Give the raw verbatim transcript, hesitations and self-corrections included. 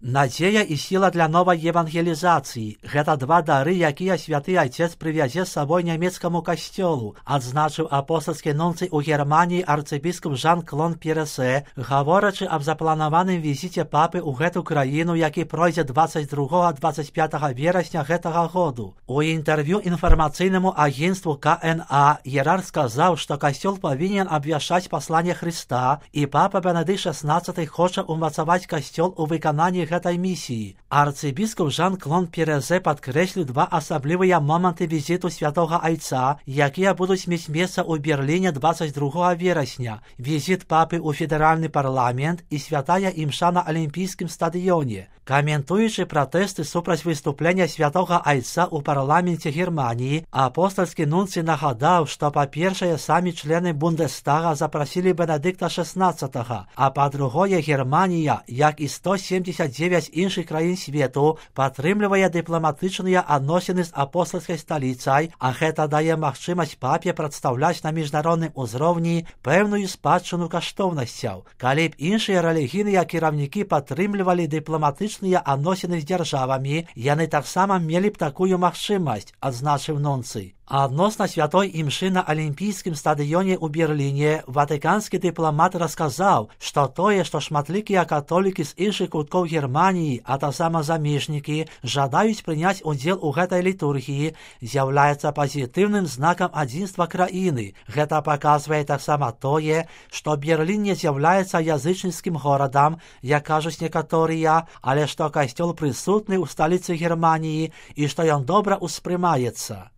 Надзея і сіла для новай евангелізацыі. Гэта два дары, якія святы Айцец прывязе з сабой нямецкаму касцёлу, адзначыў апостальскі нунцый у Германіі арцыбіскуп Жан-Клод Пересе, гаворачы аб запланаваным візіце папы ў гэту краіну, які пройдзе дваццаць другога - дваццаць пятага верасня гэтага году. У інтэрв'ю інфармацыйнаму агенцтву ка эн а іерарх сказаў, што касцёл павінен абвяшчаць пасланне Хрыста, і папа Бенедыкт шаснаццаты хоча умацаваць касцёл у выкананні гэтай місіі. Арцыбіскуп Жан-Клод Пересе падкрэсліў два асаблівыя моманты візіту святога Айца, якія будуць мець месца ў Берліне дваццаць другога верасня. Візіт папы ў федэральны парламент і святая імша на алімпійскім стадыёне. Каментуючы пратэсты супраць выступлення святога Айца ў парламенце Германіі, апостальскі нунцый нагадаў, што па-першае самі члены Бундестага запрасілі Бенедыкта шаснаццатага, а па-другое Германія, як і сто семдзесят дзевяць іншых краін свету, падтрымлівае дыпламатычныя адносіны з апостальскай сталіцай, а гэта дае магчымасць папе прадстаўляць на міжнародным узроўні пэўную спадчыну каштоўнасцяў. Калі б іншыя рэлігійныя кіраўнікі падтрымлівалі дыпламатычныя адносіны з дзяржавамі, яны таксама мелі б такую магчымасць, адзначыў нунцый. Адносна святой імшы на алімпійскім стадыёне ў Берліне ватыканскі дыпламат расказаў, што тое, што шматлікія католікі з іншых куткоў Германіі, а таксама замежнікі, жадаюць прыняць удзел у гэтай літургіі, з'яўляецца пазітыўным знакам адзінства краіны. Гэта паказвае таксама тое, што Берлін не з'яўляецца язычніцкім горадам, як кажуць некаторыя, але што касцёл прысутны ў сталіцы Германіі і што ён добра ўспрымаецца.